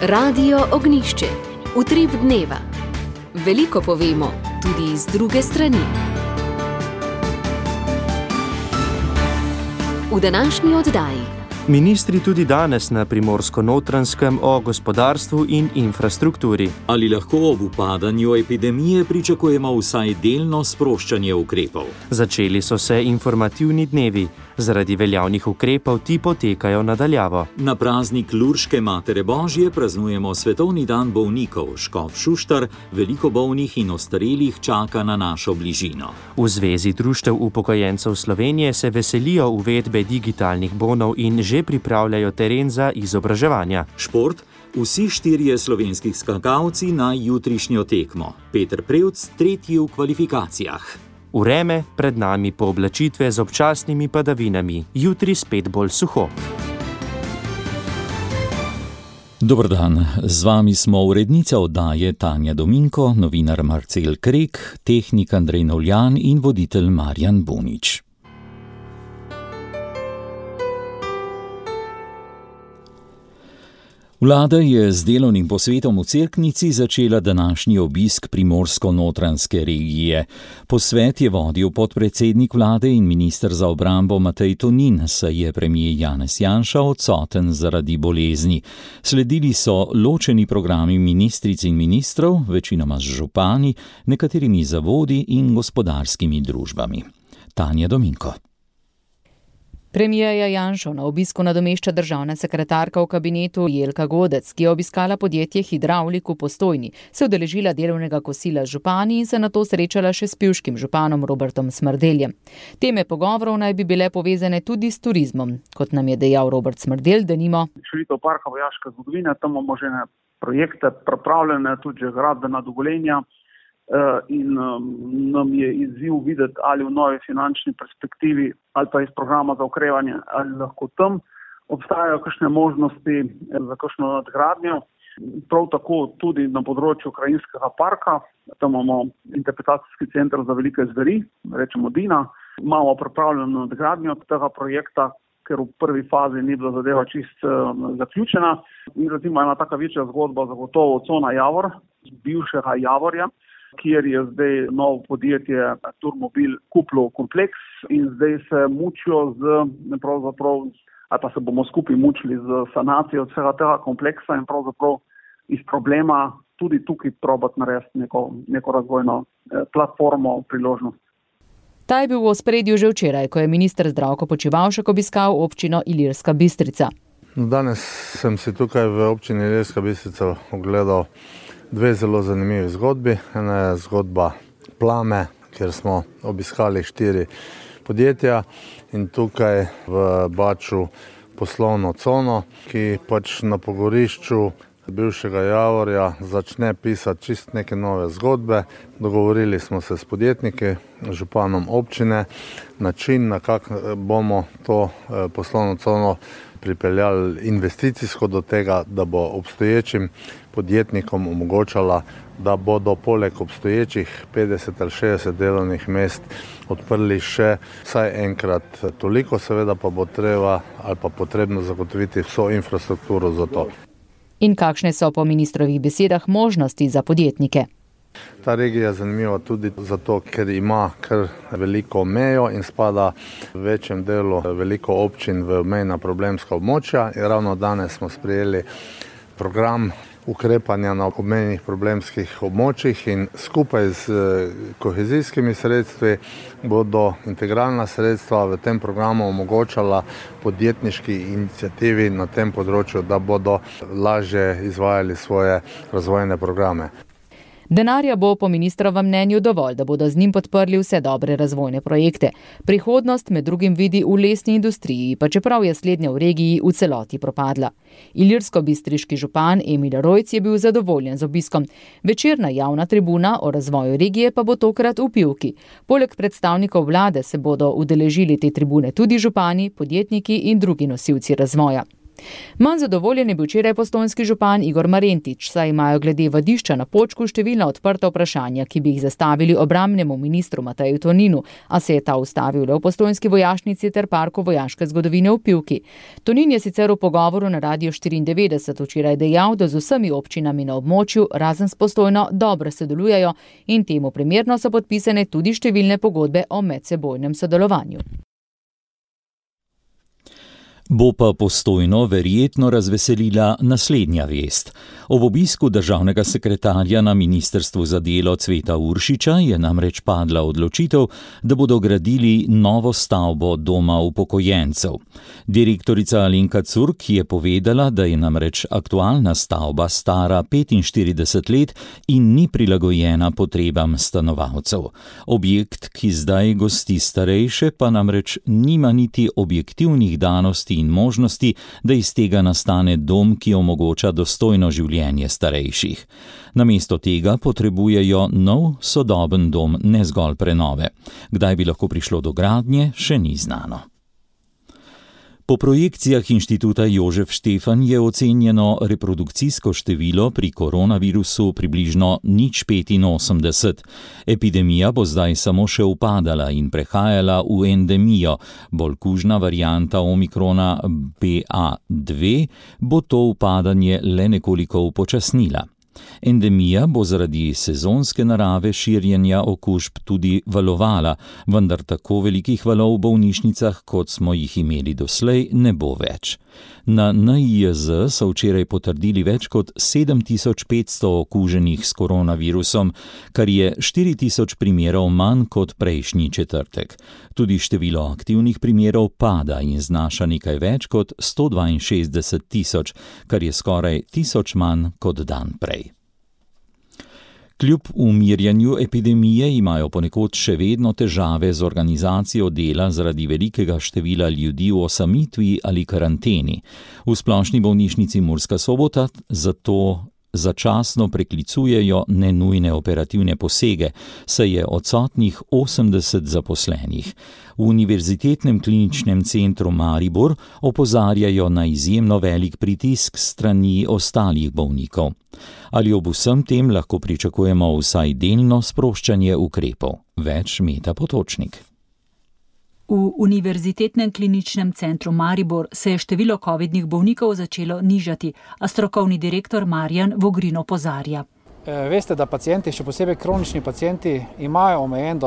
Radio Ognjišče. Utrip dneva. Veliko povemo, tudi iz druge strani. V današnji oddaji. Ministri tudi danes na Primorsko-Notranjskem o gospodarstvu in infrastrukturi. Ali lahko ob upadanju epidemije pričakujemo vsaj delno sproščanje ukrepov? Začeli so se informativni dnevi. Zaradi veljavnih ukrepov ti potekajo nadaljavo. Na praznik Lurške Matere Božje praznujemo Svetovni dan bolnikov. Škof Šuštar veliko bolnih in ostarelih čaka na našo bližino. V Zvezi društev upokojencev Slovenije se veselijo uvedbe digitalnih bonov in že pripravljajo teren za izobraževanja. Šport. Vsi 4 slovenskih skakalci na jutrišnjo tekmo. Peter Prevc, 3. v kvalifikacijah. Vreme, pred nami pooblačitve z občasnimi padavinami, jutri spet bolj suho. Dober dan, z vami smo urednica oddaje Tanja Dominko, novinar Marcel Krek, tehnik Andrej Novljan in voditelj Marjan Bunič. Vlada je z delovnim posvetom v Cerknici začela današnji obisk Primorsko-Notranjske regije. Posvet je vodil podpredsednik vlade in minister za obrambo Matej Tonin, saj je premier Janez Janša odsoten zaradi bolezni. Sledili so ločeni programi ministric in ministrov, večinoma z župani, nekaterimi zavodi in gospodarskimi družbami. Tanja Dominko. Premierja Janšo na obisku nadomešča državna sekretarka v kabinetu Jelka Godec, ki je obiskala podjetje Hidravlik v Postojni, se udeležila delovnega kosila z župani in se nato srečala še s pivškim županom Robertom Smrdeljem. Teme pogovorov naj bi bile povezane tudi s turizmom, kot nam je dejal Robert Smrdelj, denimo. Širitev parka vojaške zgodovine, tam imamo že projekte pripravljene, tudi že gradbena dovoljenja. In nam je izziv videti, ali v novi finančni perspektivi ali pa iz programa za okrevanje, ali lahko tam obstajajo kakšne možnosti za kakšno nadgradnjo. Prav tako tudi na področju krajinskega parka, tam imamo interpretacijski center za velike zveri, rečemo Dina. Imamo pripravljeno nadgradnjo tega projekta, ker v prvi fazi ni bila zadeva čist zaključena. In recimo ena taka večja zgodba zagotovo Cona Javor, bivšega Javorja, kjer je zdaj novo podjetje Turmobil kupilo kompleks in zdaj se mučijo ali pa se bomo skupaj mučili z sanacijo vsega tega kompleksa in pravzaprav iz problema tudi tukaj probati narediti neko razvojno platformo, priložnost. Ta je bil v ospredju že včeraj, ko je minister Zdravko Počivalšek obiskal občino Ilirska Bistrica. Danes sem si tukaj v občini Ilirska Bistrica ogledal 2 zelo zanimivi zgodbi. Ena je zgodba Plame, kjer smo obiskali 4 podjetja in tukaj v Baču poslovno cono, ki pač na pogorišču bivšega Javorja začne pisati čist neke nove zgodbe. Dogovorili smo se s podjetniki, županom občine, način, na kak bomo to poslovno cono pripeljali investicijsko do tega, da bo obstoječim podjetnikom omogočala, da bodo poleg obstoječih 50 ali 60 delovnih mest odprli še vsaj enkrat toliko, seveda pa bo treba ali pa potrebno zagotoviti vso infrastrukturo za to. In kakšne so po ministrovih besedah možnosti za podjetnike? Ta regija je zanimiva tudi zato, ker ima kar veliko mejo in spada v večjem delu veliko občin v mejna problemska območja. In ravno danes smo sprejeli program ukrepanja na obmejnih problemskih območjih in skupaj z kohezijskimi sredstvi bodo integralna sredstva v tem programu omogočala podjetniški iniciativi na tem področju, da bodo lažje izvajali svoje razvojne programe. Denarja bo po ministrovem mnenju dovolj, da bodo z njim podprli vse dobre razvojne projekte. Prihodnost med drugim vidi v lesni industriji, pa čeprav je slednja v regiji v celoti propadla. Ilirsko-bistriški župan Emil Rojc je bil zadovoljen z obiskom. Večerna javna tribuna o razvoju regije pa bo tokrat v Pivki. Poleg predstavnikov vlade se bodo udeležili te tribune tudi župani, podjetniki in drugi nosilci razvoja. Manj zadovoljen je bil včeraj postojnski župan Igor Marentič, saj imajo glede vadišča na Počku številna odprta vprašanja, ki bi jih zastavili obrambnemu ministru Mateju Toninu, a se je ta ustavil le v postojnski vojašnici ter parku vojaške zgodovine v Pivki. Tonin je sicer v pogovoru na Radiu 94 včeraj dejal, da z vsemi občinami na območju, razen s Postojno, dobro sodelujejo in temu primerno so podpisane tudi številne pogodbe o medsebojnem sodelovanju. Bo pa Postojno verjetno razveselila naslednja vest. Ob obisku državnega sekretarja na Ministrstvu za delo Cveta Uršiča je namreč padla odločitev, da bodo gradili novo stavbo doma upokojencev. Direktorica Alenka Curk je povedala, da je namreč aktualna stavba stara 45 let in ni prilagojena potrebam stanovalcev. Objekt, ki zdaj gosti starejše, pa namreč nima niti objektivnih danosti in možnosti, da iz tega nastane dom, ki omogoča dostojno življenje starejših. Namesto tega potrebujejo nov, sodoben dom, ne zgolj prenove. Kdaj bi lahko prišlo do gradnje, še ni znano. Po projekcijah Inštituta Jožef Štefan je ocenjeno reprodukcijsko število pri koronavirusu približno 0,85. Epidemija bo zdaj samo še upadala in prehajala v endemijo. Bolj kužna varianta omikrona BA2 bo to upadanje le nekoliko upočasnila. Endemija bo zaradi sezonske narave širjenja okužb tudi valovala, vendar tako velikih valov v bolnišnicah, kot smo jih imeli doslej, ne bo več. Na NIJZ so včeraj potrdili več kot 7500 okuženih s koronavirusom, kar je 4000 primerov manj kot prejšnji četrtek. Tudi število aktivnih primerov pada in znaša nekaj več kot 162 000, kar je skoraj 1000 manj kot dan prej. Kljub umirjanju epidemije imajo ponekod še vedno težave z organizacijo dela zaradi velikega števila ljudi v osamitvi ali karanteni. V splošni bolnišnici Murska Sobota zato začasno preklicujejo nenujne operativne posege, saj je odsotnih 80 zaposlenih. V Univerzitetnem kliničnem centru Maribor opozarjajo na izjemno velik pritisk strani ostalih bolnikov. Ali ob vsem tem lahko pričakujemo vsaj delno sproščanje ukrepov? Več Meta Potočnik. V Univerzitetnem kliničnem centru Maribor se je število covidnih bolnikov začelo nižati, a strokovni direktor Marjan Vogrin opozarja. Veste, da pacienti, še posebej kronični pacienti, imajo omejen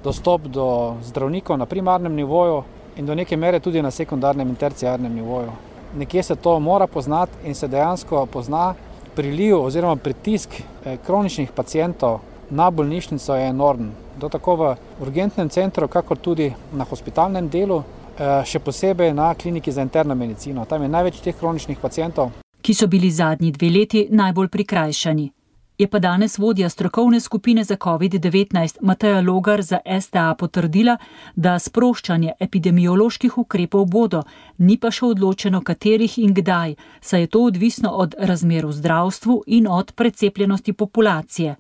dostop do zdravnikov na primarnem nivoju in do neke mere tudi na sekundarnem in terciarnem nivoju. Nekje se to mora poznati in se dejansko pozna. Priliv oziroma pritisk kroničnih pacientov na bolnišnico je enormen. To tako v urgentnem centru, kakor tudi na hospitalnem delu, še posebej na kliniki za interno medicino. Tam je največ teh kroničnih pacientov, ki so bili zadnji 2 leti najbolj prikrajšani. Je pa danes vodja strokovne skupine za COVID-19 Mateja Logar za STA potrdila, da sproščanje epidemioloških ukrepov bodo, ni pa še odločeno katerih in kdaj, saj je to odvisno od razmer v zdravstvu in od precepljenosti populacije.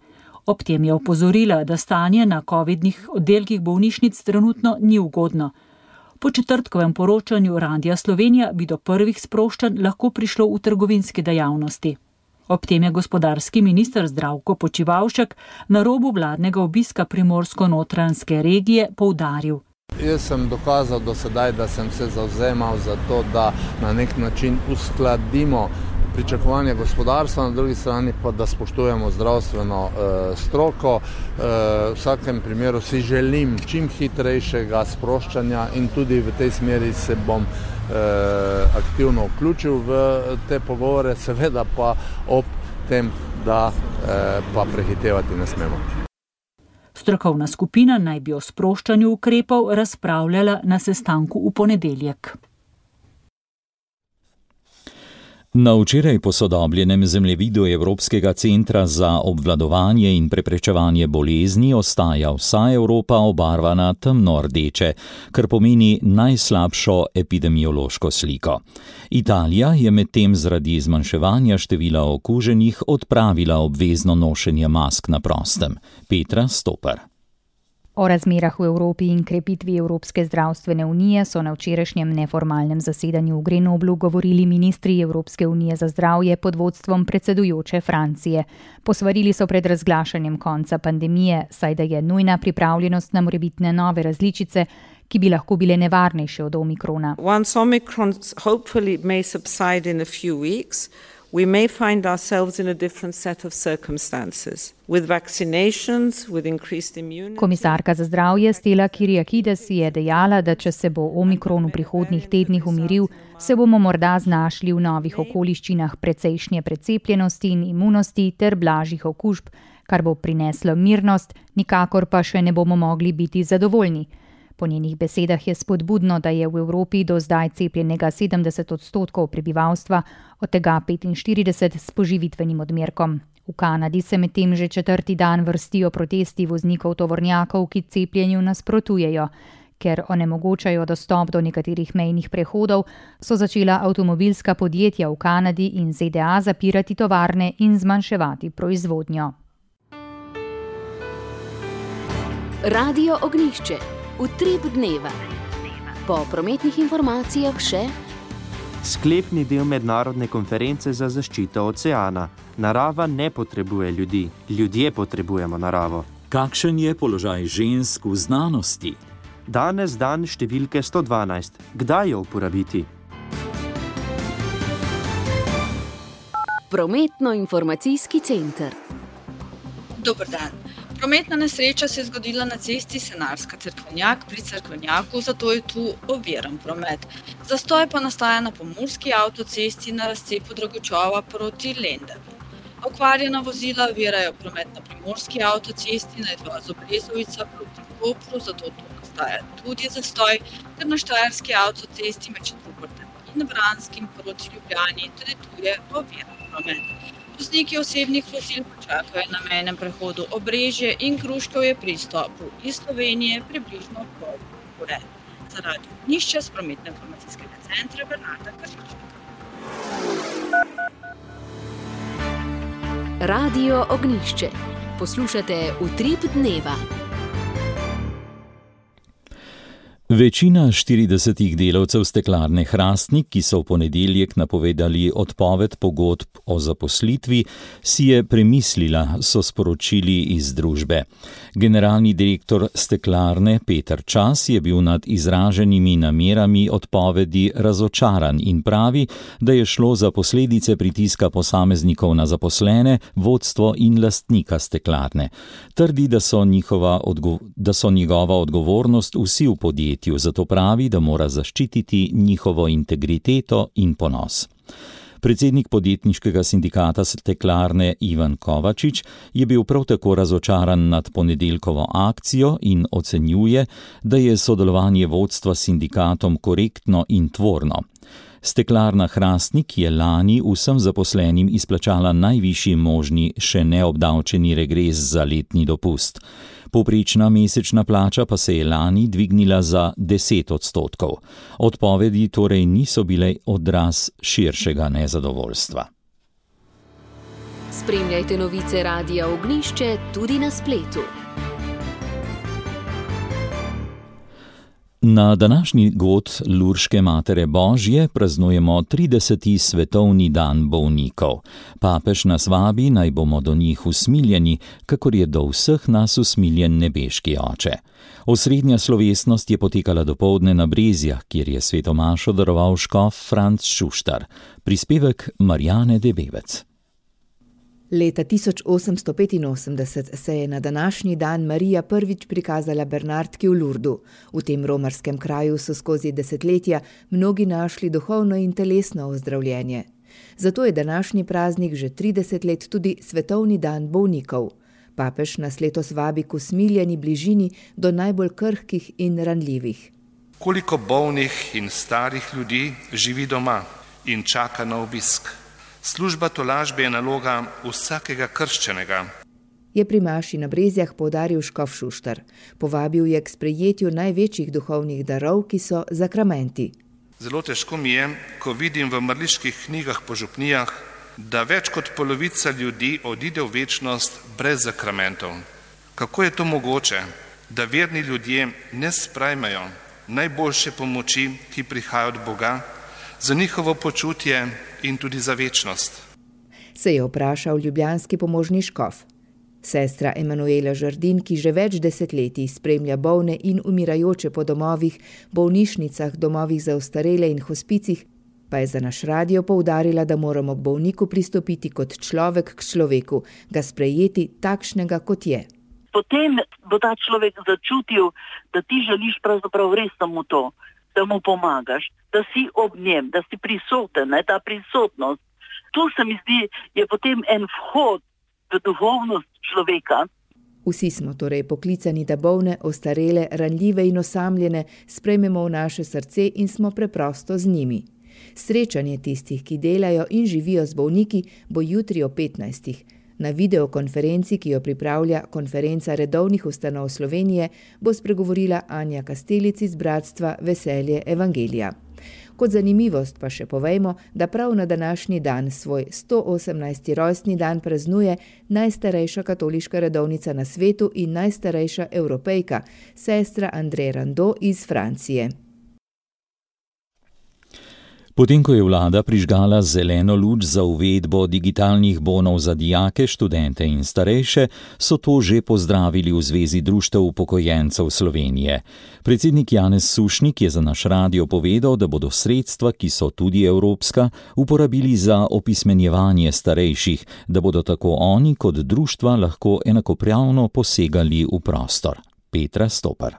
Ob tem je opozorila, da stanje na covidnih oddelkih bolnišnic trenutno ni ugodno. Po četrtkovem poročanju Radia Slovenija bi do prvih sproščanj lahko prišlo v trgovinski dejavnosti. Ob tem je gospodarski minister Zdravko Počivalšek na robu vladnega obiska primorsko-notranjske regije poudaril. Jaz sem dokazal do sedaj, da sem se zavzemal za to, da na nek način uskladimo pričakovanja gospodarstva, na drugi strani pa da spoštujemo zdravstveno stroko. V vsakem primeru si želim čim hitrejšega sproščanja in tudi v tej smeri se bom aktivno vključil v te pogovore, seveda pa ob tem, da pa prehitevati ne smemo. Strokovna skupina naj bi o sproščanju ukrepov razpravljala na sestanku v ponedeljek. Na včeraj posodobljenem zemljevidu Evropskega centra za obvladovanje in preprečevanje bolezni ostaja vsa Evropa obarvana temno rdeče, kar pomeni najslabšo epidemiološko sliko. Italija je medtem zaradi zmanjševanja števila okuženih odpravila obvezno nošenje mask na prostem. Petra Stopar. O razmerah v Evropi in krepitvi Evropske zdravstvene unije so na včerajšnjem neformalnem zasedanju v Grenoblu govorili ministri Evropske unije za zdravje pod vodstvom predsedujoče Francije. Posvarili so pred razglašanjem konca pandemije, saj da je nujna pripravljenost na morebitne nove različice, ki bi lahko bile nevarnejše od omikrona. Once Omicron hopefully may subside in a few weeks, we may find ourselves in a different set of circumstances. With vaccinations, with increased immunity. Komisarka za zdravje Stella Kyriakides je dejala, da če se bo omikron v prihodnjih tednih umiril, se bomo morda znašli v novih okoliščinah precejšnje precepljenosti in imunosti ter blažjih okužb, kar bo prineslo mirnost, nikakor pa še ne bomo mogli biti zadovoljni. Po njenih besedah je spodbudno, da je v Evropi do zdaj cepljenega 70% prebivalstva, od tega 45% s poživitvenim odmerkom. V Kanadi se medtem že 4. dan vrstijo protesti voznikov tovornjakov, ki cepljenju nasprotujejo. Ker onemogočajo dostop do nekaterih mejnih prehodov, so začela avtomobilska podjetja v Kanadi in ZDA zapirati tovarne in zmanjševati proizvodnjo. Radio Ognjišče. Utrip dneva. Po prometnih informacijah še sklepni del mednarodne konference za zaščito oceana. Narava ne potrebuje ljudi, ljudje potrebujemo naravo. Kakšen je položaj žensk v znanosti? Danes dan številke 112. Kdaj jo uporabiti? Prometno-informacijski center. Dober dan. Prometna nesreča se je zgodila na cesti Senarska-Cerkvenjak pri Cerkvenjaku, zato je tu oviran promet. Zastoj pa nastaja na pomurski avtocesti na razcepu Dragočova proti Lendavi. Okvarjena vozila ovirajo promet na primorski avtocesti na izvozu Brezovica proti Kopru, zato tu nastaja tudi zastoj, ter na štajerski avtocesti med Šentrupertem in Vranskim proti Ljubljani, tudi tu je oviran promet. Vozniki osebnih vozil počakajo na mejnem prehodu Obrežje in Kruškovje pri izstopu iz Slovenije približno pol ure. Za Radio Ognjišče s prometno-informacijskega centra Bernarda Kršičnika. Radio Ognjišče. Poslušate Utrip dneva. Večina 40 delavcev steklarne Hrastnik, ki so v ponedeljek napovedali odpoved pogodb o zaposlitvi, si je premislila, so sporočili iz družbe. Generalni direktor steklarne Peter Čas je bil nad izraženimi namerami odpovedi razočaran in pravi, da je šlo za posledice pritiska posameznikov na zaposlene, vodstvo in lastnika steklarne. Trdi, da so njegova odgovornost vsi v podjetju, zato pravi, da mora zaščititi njihovo integriteto in ponos. Predsednik podjetniškega sindikata steklarne Ivan Kovačič je bil prav tako razočaran nad ponedeljkovo akcijo in ocenjuje, da je sodelovanje vodstva s sindikatom korektno in tvorno. Steklarna Hrastnik je lani vsem zaposlenim izplačala najvišji možni še neobdavčeni regres za letni dopust. Povprečna mesečna plača pa se je lani dvignila za 10%. Odpovedi torej niso bile odraz širšega nezadovoljstva. Spremljajte novice Radia Ognjišče tudi na spletu. Na današnji god Lurške Matere Božje praznujemo 30. svetovni dan bolnikov. Papež nas vabi, naj bomo do njih usmiljeni, kakor je do vseh nas usmiljen nebeški oče. Osrednja slovesnost je potekala dopoldne na Brezjah, kjer je sveto mašo daroval škof Franc Šuštar. Prispevek Marjane Debevec. Leta 1885 se je na današnji dan Marija prvič prikazala Bernardki v Lurdu. V tem romarskem kraju so skozi desetletja mnogi našli duhovno in telesno ozdravljenje. Zato je današnji praznik že 30 let tudi svetovni dan bolnikov. Papež nas letos vabi k usmiljeni bližini do najbolj krhkih in ranljivih. Koliko bolnih in starih ljudi živi doma in čaka na obisk? Služba tolažbe je naloga vsakega krščenega. Je pri maši na Brezjah poudaril škof Šuštar. Povabil je k sprejetju največjih duhovnih darov, ki so zakramenti. Zelo težko mi je, ko vidim v mrliških knjigah po župnijah, da več kot polovica ljudi odide v večnost brez zakramentov. Kako je to mogoče? da verni ljudje ne sprejmejo najboljše pomoči, ki prihaja od Boga, za njihovo počutje in tudi za večnost. Se je vprašal ljubljanski pomožni škof. Sestra Emanuela Žardin, ki že več desetletij spremlja bolne in umirajoče po domovih, bolnišnicah, domovih za ostarele in hospicih, pa je za naš radio poudarila, da moramo k bolniku pristopiti kot človek k človeku, ga sprejeti takšnega, kot je. Potem bo ta človek začutil, da ti želiš pravzaprav res samo to, da mu pomagaš, da si ob njem, da si prisoten, ta prisotnost. Tu se mi zdi, je potem en vhod v duhovnost človeka. Vsi smo torej poklicani, da bolne, ostarele, ranljive in osamljene sprejmemo v naše srce in smo preprosto z njimi. Srečanje tistih, ki delajo in živijo z bolniki, bo jutri o 15. Na videokonferenci, ki jo pripravlja Konferenca redovnih ustanov Slovenije, bo spregovorila Anja Kastelic iz Bratstva Veselje Evangelija. Kot zanimivost pa še povejmo, da prav na današnji dan svoj 118. rojstni dan praznuje najstarejša katoliška redovnica na svetu in najstarejša Evropejka, sestra André Rando iz Francije. Potem, ko je vlada prižgala zeleno luč za uvedbo digitalnih bonov za dijake, študente in starejše, so to že pozdravili v Zvezi društev upokojencev Slovenije. Predsednik Janez Sušnik je za naš radio povedal, da bodo sredstva, ki so tudi evropska, uporabili za opismenjevanje starejših, da bodo tako oni kot društva lahko enakopravno posegali v prostor. Petra Stopar.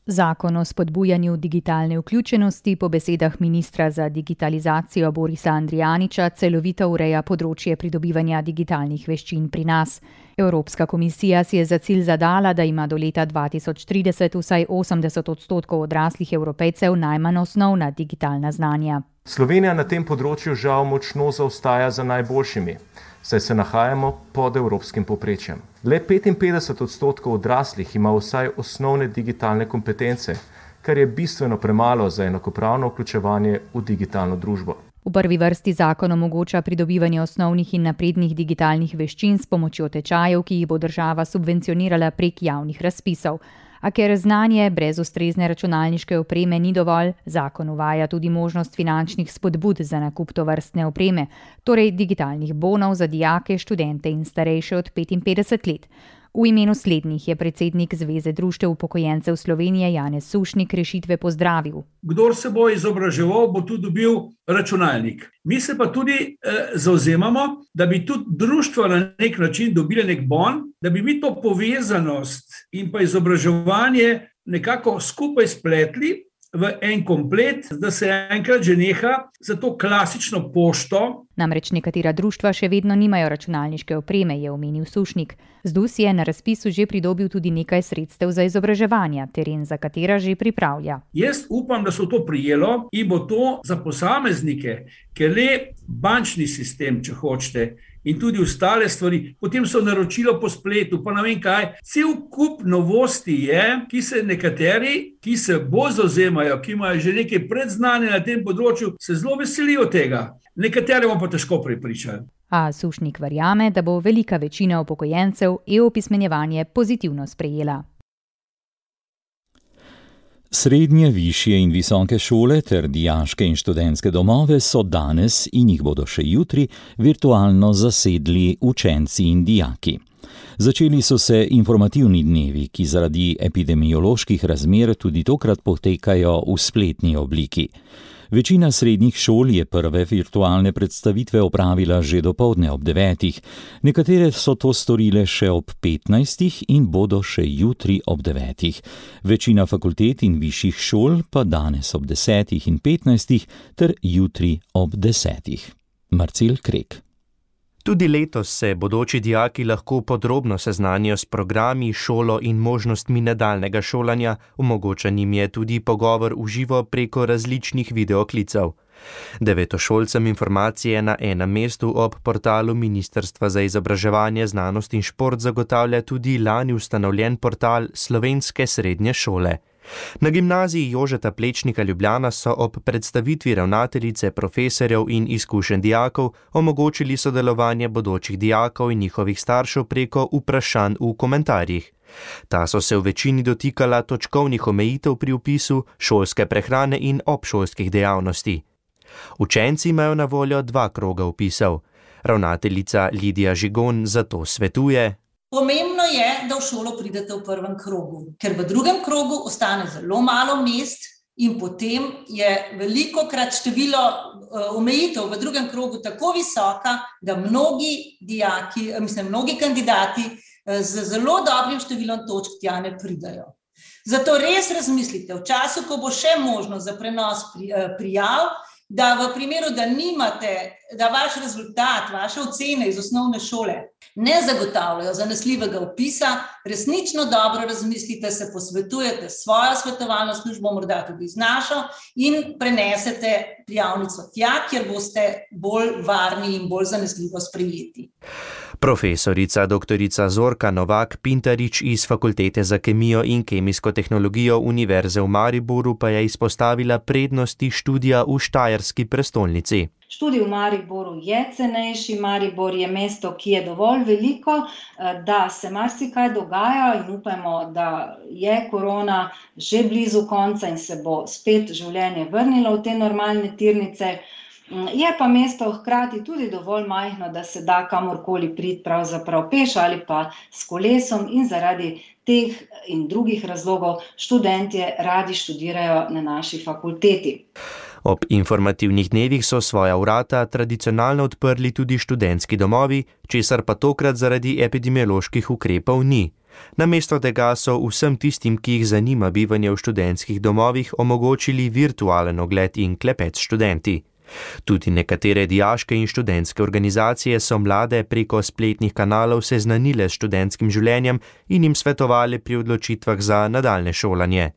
Zakon o spodbujanju digitalne vključenosti po besedah ministra za digitalizacijo Borisa Andrijaniča celovito ureja področje pridobivanja digitalnih veščin pri nas. Evropska komisija si je za cilj zadala, da ima do leta 2030 vsaj 80% odraslih Evropejcev najmanj osnovna digitalna znanja. Slovenija na tem področju žal močno zaostaja za najboljšimi, saj se nahajamo pod evropskim povprečjem. Le 55% odraslih ima vsaj osnovne digitalne kompetence, kar je bistveno premalo za enakopravno vključevanje v digitalno družbo. V prvi vrsti zakon omogoča pridobivanje osnovnih in naprednih digitalnih veščin s pomočjo tečajev, ki jih bo država subvencionirala prek javnih razpisov. A ker znanje brez ustrezne računalniške opreme ni dovolj, zakon uvaja tudi možnost finančnih spodbud za nakup tovrstne opreme, torej digitalnih bonov za dijake, študente in starejše od 55 let. V imenu slednjih je predsednik Zveze društev upokojencev Slovenije Janez Sušnik rešitve pozdravil. Kdor se bo izobraževal, bo tudi dobil računalnik. Mi se pa tudi zavzemamo, da bi tudi društva na nek način dobile nek bon, da bi mi to povezanost in pa izobraževanje nekako skupaj spletli v en komplet, da se enkrat že neha za to klasično pošto. Namreč nekatera društva še vedno nimajo računalniške opreme, je omenil Sušnik. ZDUS je na razpisu že pridobil tudi nekaj sredstev za izobraževanje, teren za katera že pripravlja. Jaz upam, da so to prijelo in bo to za posameznike, ker le bančni sistem, če hočete, in tudi ostale stvari, potem so naročilo po spletu, pa ne vem kaj. Cel kup novosti je, ki se nekateri, ki se bolj zavzemajo, ki imajo že nekaj predznanja na tem področju, se zelo veselijo tega. Nekatere bomo pa težko prepričali. A Sušnik verjame, da bo velika večina upokojencev e-opismenjevanje pozitivno sprejela. Srednje, višje in visoke šole ter dijaške in študentske domove so danes in jih bodo še jutri virtualno zasedli učenci in dijaki. Začeli so se informativni dnevi, ki zaradi epidemioloških razmer tudi tokrat potekajo v spletni obliki. Večina srednjih šol je prve virtualne predstavitve opravila že dopoldne ob 9. Nekatere so to storile še ob 15. in bodo še jutri ob 9. Večina fakultet in višjih šol pa danes ob 10. in 15. ter jutri ob 10. Marcel Krek. Tudi letos se bodoči dijaki lahko podrobno seznanijo s programi, šolo in možnostmi nadaljnega šolanja, omogočen jim je tudi pogovor v živo preko različnih videoklicev. Devetošolcem informacije na enem mestu ob portalu Ministrstva za izobraževanje, znanost in šport zagotavlja tudi lani ustanovljen portal Slovenske srednje šole. Na gimnaziji Jožeta Plečnika Ljubljana so ob predstavitvi ravnateljice, profesorjev in izkušenj dijakov omogočili sodelovanje bodočih dijakov in njihovih staršev preko vprašanj v komentarjih. Ta so se v večini dotikala točkovnih omejitev pri vpisu, šolske prehrane in obšolskih dejavnosti. Učenci imajo na voljo 2 kroga vpisov. Ravnateljica Lidija Žigon zato svetuje: Pomembno je, da v šolo pridete v prvem krogu, ker v drugem krogu ostane zelo malo mest in potem je velikokrat število omejitev v drugem krogu tako visoka, da mnogi kandidati z zelo dobrim številom točk tja ne pridajo. Zato res razmislite, v času, ko bo še možnost za prenos prijav, da v primeru, da nimate, da vaš rezultat, vaše ocene iz osnovne šole ne zagotavljajo zanesljivega vpisa, resnično dobro razmislite, se posvetujete s svojo svetovalno službo, morda tudi z našo, in prenesete prijavnico tja, kjer boste bolj varni in bolj zanesljivo sprejeti. Profesorica doktorica Zorka Novak-Pintarič iz Fakultete za kemijo in kemijsko tehnologijo Univerze v Mariboru pa je izpostavila prednosti študija v štajerski prestolnici. Študij v Mariboru je cenejši, Maribor je mesto, ki je dovolj veliko, da se marsikaj dogaja in upajmo, da je korona že blizu konca in se bo spet življenje vrnilo v te normalne tirnice. Je pa mesto hkrati tudi dovolj majhno, da se da kamorkoli priti pravzaprav peš ali pa s kolesom in zaradi teh in drugih razlogov študentje radi študirajo na naši fakulteti. Ob informativnih dnevih so svoja vrata tradicionalno odprli tudi študentski domovi, česar pa tokrat zaradi epidemioloških ukrepov ni. Namesto tega so vsem tistim, ki jih zanima bivanje v študentskih domovih, omogočili virtualen ogled in klepet s študenti. Tudi nekatere dijaške in študentske organizacije so mlade preko spletnih kanalov seznanile s študentskim življenjem in jim svetovali pri odločitvah za nadaljne šolanje.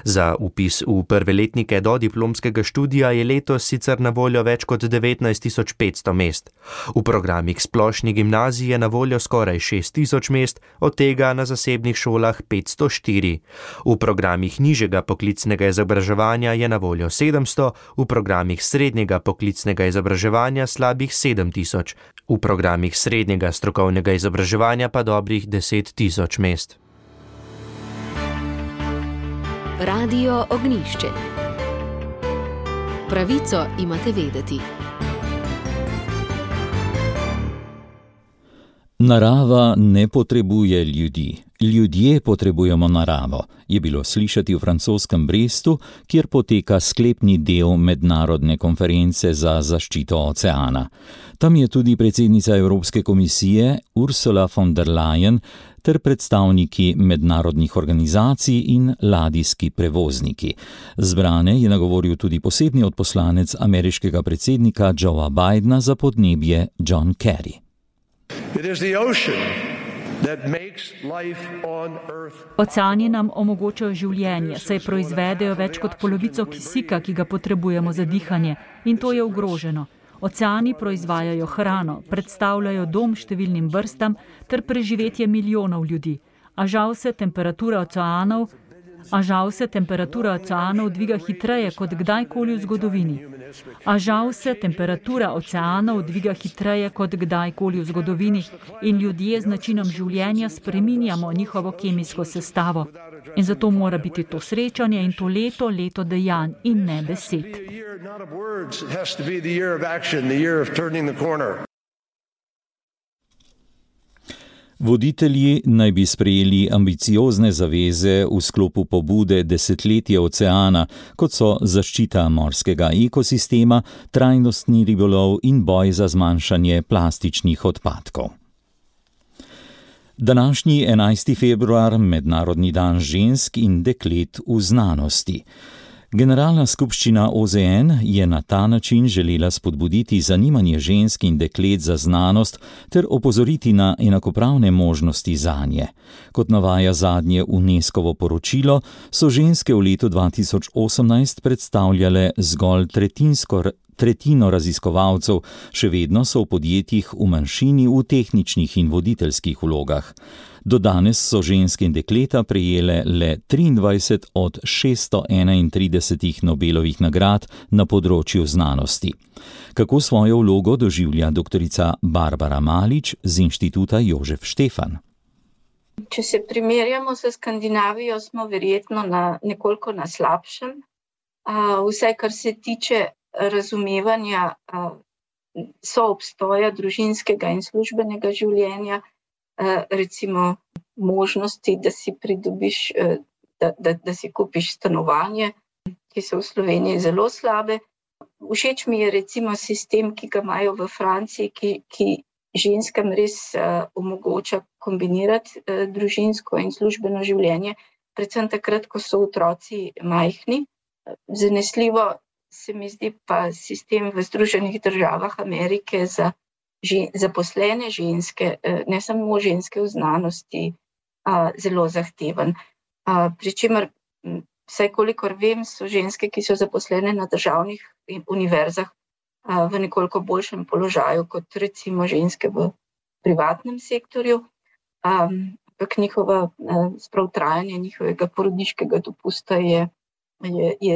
Za vpis v prve letnike do diplomskega študija je letos sicer na voljo več kot 19.500 mest. V programih splošne gimnazije je na voljo skoraj 6.000 mest, od tega na zasebnih šolah 504. V programih nižjega poklicnega izobraževanja je na voljo 700, v programih srednjega poklicnega izobraževanja slabih 7.000, v programih srednjega strokovnega izobraževanja pa dobrih 10.000 mest. Radio Ognjišče. Pravico imate vedeti. Narava ne potrebuje ljudi. Ljudje potrebujemo naravo, je bilo slišati v francoskem Brestu, kjer poteka sklepni del mednarodne konference za zaščito oceana. Tam je tudi predsednica Evropske komisije Ursula von der Leyen ter predstavniki mednarodnih organizacij in ladijski prevozniki. Zbrane je nagovoril tudi posebni odposlanec ameriškega predsednika Joea Bidena za podnebje John Kerry. Oceani nam omogočajo življenje, saj proizvedejo več kot polovico kisika, ki ga potrebujemo za dihanje, in to je ogroženo. Oceani proizvajajo hrano, predstavljajo dom številnim vrstam ter preživetje milijonov ljudi. A žal se temperatura oceanov dviga hitreje kot kdajkoli v zgodovini. In ljudje z načinom življenja spreminjamo njihovo kemijsko sestavo. In zato mora biti to srečanje in to leto dejanj in ne besed. Voditelji naj bi sprejeli ambiciozne zaveze v sklopu pobude Desetletje oceana, kot so zaščita morskega ekosistema, trajnostni ribolov in boj za zmanjšanje plastičnih odpadkov. Današnji 11. februar, Mednarodni dan žensk in deklet v znanosti. Generalna skupščina OZN je na ta način želela spodbuditi zanimanje žensk in deklet za znanost ter opozoriti na enakopravne možnosti zanje. Kot navaja zadnje UNESCO-ovo poročilo, so ženske v letu 2018 predstavljale zgolj tretjino raziskovalcev, še vedno so v podjetjih v manjšini v tehničnih in voditeljskih vlogah. Do danes so ženske in dekleta prejele le 23 od 631 Nobelovih nagrad na področju znanosti. Kako svojo vlogo doživlja doktorica Barbara Malić z Inštituta Jožef Štefan? Če se primerjamo s Skandinavijo, smo verjetno nekoliko na slabšem. Vsaj kar se tiče razumevanja soobstoja družinskega in službenega življenja, recimo možnosti, da si pridobiš, da si kupiš stanovanje, ki so v Sloveniji zelo slabe. Všeč mi je recimo sistem, ki ga imajo v Franciji, ki ženskam res omogoča kombinirati družinsko in službeno življenje, predvsem takrat, ko so otroci majhni. Zanesljivo se mi zdi pa sistem v Združenih državah Amerike za zaposlene ženske, ne samo ženske v znanosti, zelo zahteven. Pričemer, vsaj kolikor vem, so ženske, ki so zaposlene na državnih univerzah, v nekoliko boljšem položaju kot recimo ženske v privatnem sektorju. Ampak sprav trajanje njihovega porodniškega dopusta je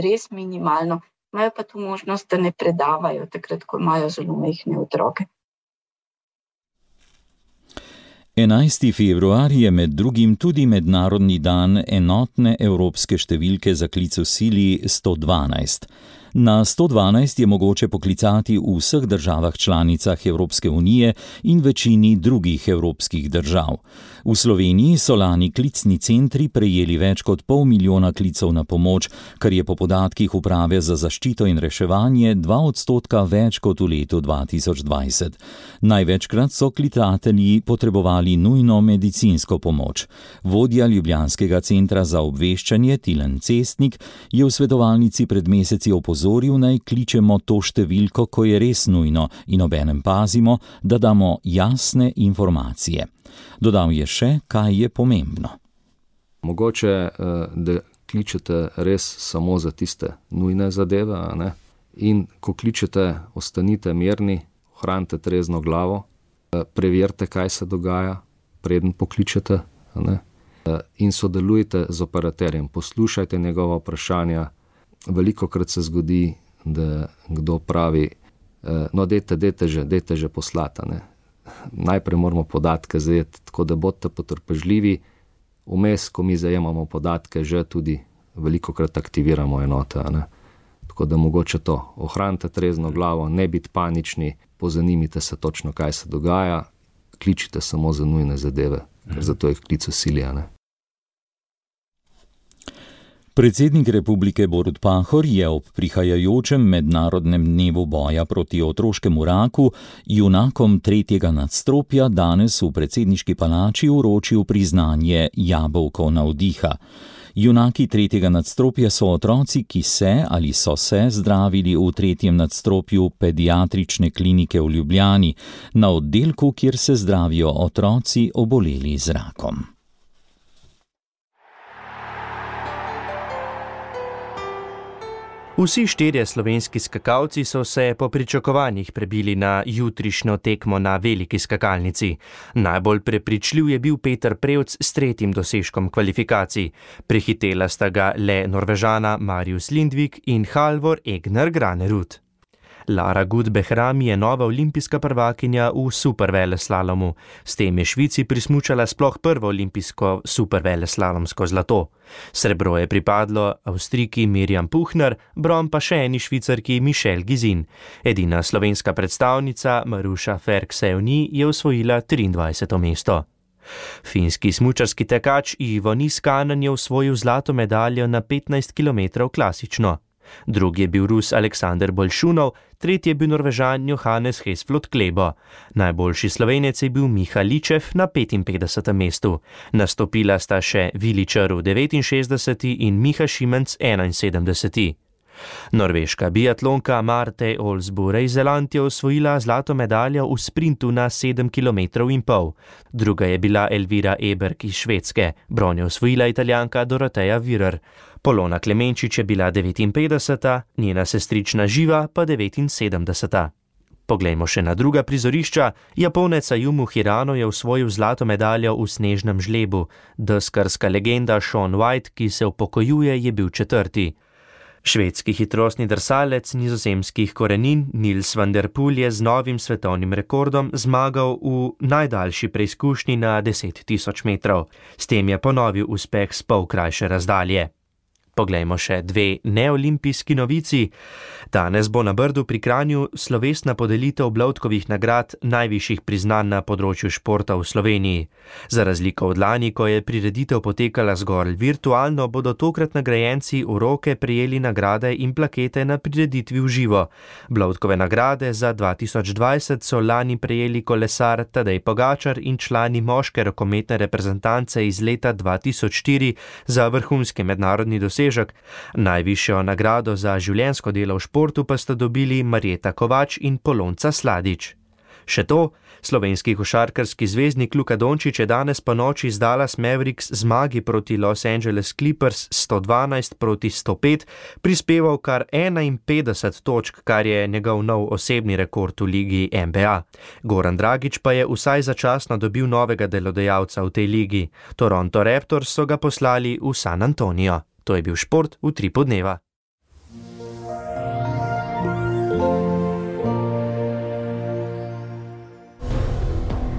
res minimalno. Imajo pa tu možnost, da ne predavajo takrat, ko imajo zelo majhne otroke. 11. februar je med drugim tudi mednarodni dan enotne evropske številke za klic v sili 112. Na 112 je mogoče poklicati v vseh državah članicah Evropske unije in večini drugih evropskih držav. V Sloveniji so lani klicni centri prejeli več kot 500 000 klicev na pomoč, kar je po podatkih Uprave za zaščito in reševanje 2% več kot v letu 2020. Največkrat so klicatelji potrebovali nujno medicinsko pomoč. Vodja Ljubljanskega centra za obveščanje Tilen Cestnik je v svetovalnici pred meseci opozoril, naj kličemo to številko, ko je res nujno, in obenem pazimo, da damo jasne informacije. Dodal je še, kaj je pomembno. Mogoče, da kličete res samo za tiste nujne zadeve, ne? In ko kličete, ostanite mirni, ohranite trezno glavo, preverite, kaj se dogaja, preden pokličete, ne? In sodelujte z operaterjem, poslušajte njegova vprašanja. Velikokrat se zgodi, da kdo pravi, no dajte že poslati, ne. Najprej moramo podatke zajeti, tako da bodite potrpežljivi. Vmes, ko mi zajemamo podatke, že tudi velikokrat aktiviramo enote, ne. Tako da mogoče to, ohranite trezno glavo, ne biti panični, pozanimite se točno, kaj se dogaja, kličite samo za nujne zadeve, ker zato jih klic v sili, ne. Predsednik republike Borut Pahor je ob prihajajočem mednarodnem dnevu boja proti otroškemu raku junakom 3. nadstropja danes v predsedniški palači vročil priznanje jabolko navdiha. Junaki 3. nadstropja so otroci, ki se ali so se zdravili v 3. nadstropju pediatrične klinike v Ljubljani, na oddelku, kjer se zdravijo otroci oboleli z rakom. Vsi 4 slovenski skakalci so se po pričakovanjih prebili na jutrišnjo tekmo na veliki skakalnici. Najbolj prepričljiv je bil Peter Prevc s 3. dosežkom kvalifikacij. Prehitela sta ga le Norvežana Marius Lindvik in Halvor Egner Granerud. Lara Gut-Behrami je nova olimpijska prvakinja v superveleslalomu. S tem je Švici prismučala sploh prvo olimpijsko superveleslalomsko zlato. Srebro je pripadlo Avstrijki Mirjam Puchner, bron pa še eni Švicarki Michelle Gizin. Edina slovenska predstavnica Maruša Ferk-Sevni je osvojila 23. mesto. Finski smučarski tekač Ivo Niskanen je osvojil zlato medaljo na 15 km klasično. Drugi je bil Rus Aleksander Bolšunov, tretji je bil Norvežan Johannes Hesflot Klebo. Najboljši Slovenec je bil Miha Ličev na 55. mestu. Nastopila sta še Vili Črv 69. in Miha Šimenc 71. Norveška biatlonka Marte Olsbu-Reiseland je osvojila zlato medaljo v sprintu na 7,5 km. Druga je bila Elvira Eberg iz Švedske, bron je osvojila Italijanka Doroteja Virer. Polona Klemenčič je bila 59., njena sestrična Živa pa 79. Poglejmo še na druga prizorišča. Japonec Ayumu Hirano je osvojil zlato medaljo v snežnem žlebu. Deskarska legenda Shaun White, ki se upokojuje, je bil 4. Švedski hitrostni drsalec nizozemskih korenin Nils van der Poel je z novim svetovnim rekordom zmagal v najdaljši preizkušnji na 10.000 metrov. S tem je ponovil uspeh s pol krajše razdalje. Poglejmo še dve neolimpijski novici. Danes bo na Brdu pri Kranju slovesna podelitev Bloudkovih nagrad, najvišjih priznanj na področju športa v Sloveniji. Za razliko od lani, ko je prireditev potekala zgolj virtualno, bodo tokrat nagrajenci v roke prejeli nagrade in plakete na prireditvi v živo. Bloudkove nagrade za 2020 so lani prejeli kolesar Tadej Pogačar in člani moške rokometne reprezentance iz leta 2004 za vrhunski mednarodni dosežek. Najvišjo nagrado za življenjsko delo v športu pa sta dobili Marjeta Kovač in Polonca Sladič. Še to, slovenski košarkarski zvezdnik Luka Dončić je danes ponoči z Dallas Mavericks zmagi proti Los Angeles Clippers 112-105 prispeval kar 51 točk, kar je njegov nov osebni rekord v ligi NBA. Goran Dragić pa je vsaj začasno dobil novega delodajalca v tej ligi. Toronto Raptors so ga poslali v San Antonio. To je bil šport v Utripu dneva.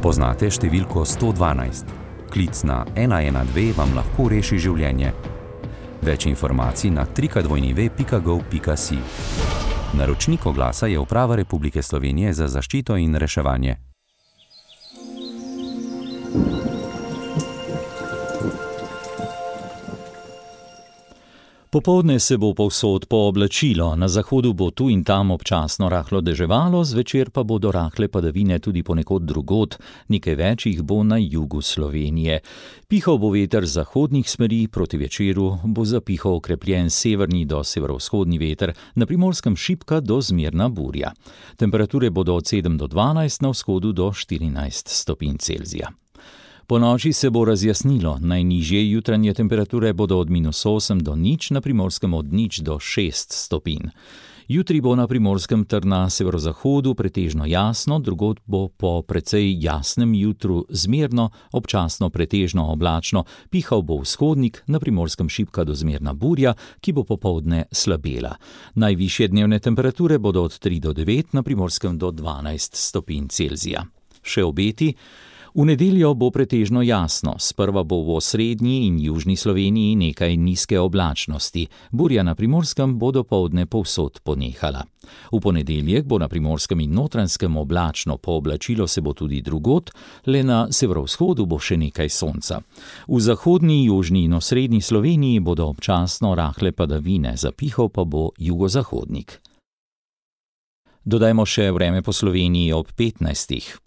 Poznate številko 112? Klic na 112 vam lahko reši življenje. Več informacij na www.gov.si. Naročnik oglasa je Uprava Republike Slovenije za zaščito in reševanje. Popoldne se bo povsod pooblačilo, na zahodu bo tu in tam občasno rahlo deževalo, zvečer pa bodo rahle padavine tudi ponekod drugod, nekaj več jih bo na jugu Slovenije. Pihal bo veter z zahodnih smeri, proti večeru bo zapihal okrepljen severni do severovzhodni veter, na Primorskem šibka do zmerna burja. Temperature bodo od 7 do 12, na vzhodu do 14 stopinj Celzija. Po noči se bo razjasnilo, najnižje jutranje temperature bodo od -8 do 0, na Primorskem od 0 do 6 stopinj. Jutri bo na Primorskem ter na severozahodu pretežno jasno, drugod bo po precej jasnem jutru zmerno, občasno pretežno oblačno, pihal bo vzhodnik, na Primorskem šibka do zmerna burja, ki bo popoldne slabela. Najvišje dnevne temperature bodo od 3 do 9, na Primorskem do 12 stopinj Celzija. Še obeti. V nedeljo bo pretežno jasno, sprva bo v osrednji in južni Sloveniji nekaj nizke oblačnosti, burja na Primorskem bo dopoldne povsod ponehala. V ponedeljek bo na Primorskem in Notranjskem oblačno, pooblačilo se bo tudi drugod, le na severovzhodu bo še nekaj sonca. V zahodni, južni in osrednji Sloveniji bodo občasno rahle padavine, zapihal pa bo jugozahodnik. Dodajmo še vreme po Sloveniji ob 15.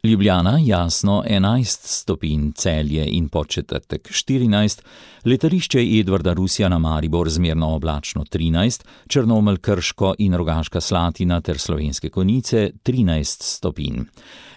Ljubljana jasno 11 stopinj, Celje in Podčetrtek 14, letališče Edvarda Rusjana Maribor zmerno oblačno 13, Črnomelj, Krško in Rogaška Slatina ter Slovenske Konjice 13 stopinj.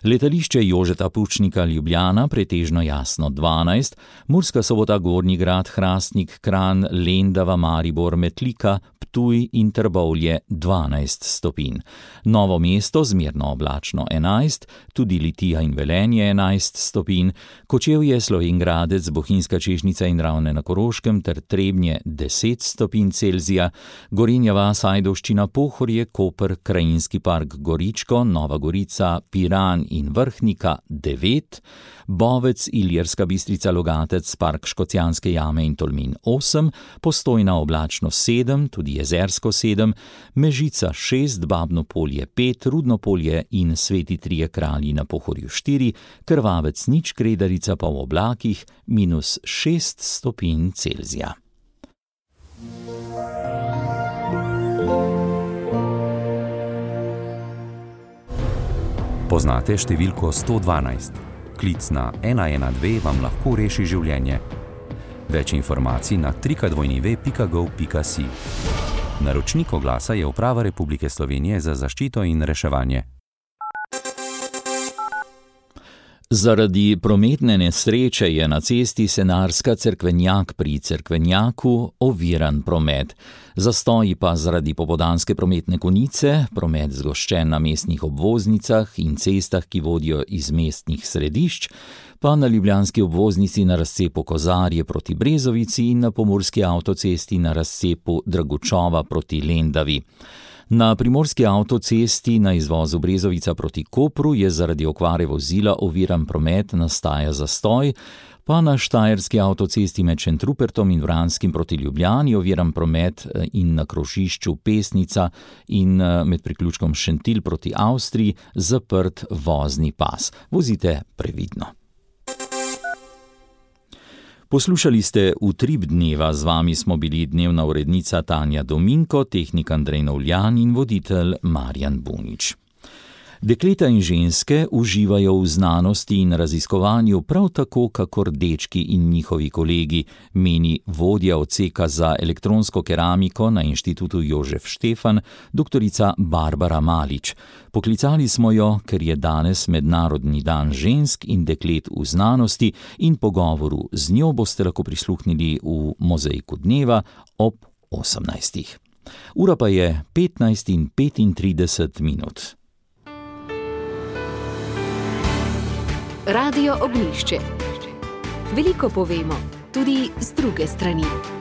Letališče Jožeta Pučnika Ljubljana pretežno jasno 12, Murska Sobota, Gornji Grad, Hrastnik, Kranj, Lendava, Maribor, Metlika, Ptuj in Trbovlje 12 stopinj. Novo mesto zmerno oblačno 11, tudi Litija in Velenje 11 stopinj, Kočevje, Slovenj Gradec, Bohinjska Čežnica in Ravne na Koroškem ter Trebnje 10 stopinj Celzija, Gorenja vas, Ajdovščina, Pohorje, Koper, Krajinski park Goričko, Nova Gorica, Piran in Vrhnika 9, Bovec, Ilirska Bistrica, Logatec, Park Škocjanske jame in Tolmin 8, Postojna oblačno 7, tudi Jezersko 7, Mežica 6, Babno Polje 5, Rudno Polje in Sveti Trije Kralji na Pohorju 4, Krvavec 0, Kredarica pa v oblakih -6 stopinj Celzija. Poznate številko 112? Klic na 112 vam lahko reši življenje. Več informacij na www.gov.si. Naročnik oglasa je Uprava Republike Slovenije za zaščito in reševanje. Zaradi prometne nesreče je na cesti Senarska-Cerkvenjak pri Cerkvenjaku oviran promet. Zastoji pa zaradi popoldanske prometne konice, promet zgoščen na mestnih obvoznicah in cestah, ki vodijo iz mestnih središč, pa na ljubljanski obvoznici na razcepu Kozarje proti Brezovici in na pomurski avtocesti na razcepu Dragučova proti Lendavi. Na primorski avtocesti na izvozu Brezovica proti Kopru je zaradi okvare vozila oviran promet, nastaja zastoj, pa na štajerski avtocesti med Šentrupertom in Vranskim proti Ljubljani oviran promet in na krožišču Pesnica in med priključkom Šentilj proti Avstriji zaprt vozni pas. Vozite previdno. Poslušali ste Utrip dneva, z vami smo bili dnevna urednica Tanja Dominko, tehnik Andrej Novljan in voditelj Marjan Bunič. Dekleta in ženske uživajo v znanosti in raziskovanju prav tako, kakor dečki in njihovi kolegi, meni vodja odseka za elektronsko keramiko na Inštitutu Jožef Štefan, doktorica Barbara Malič. Poklicali smo jo, ker je danes Mednarodni dan žensk in deklet v znanosti in pogovoru z njo boste lahko prisluhnili v Mozaiku dneva ob 18. Ura pa je 15:35. Radio Ognjišče. Veliko povemo, tudi z druge strani.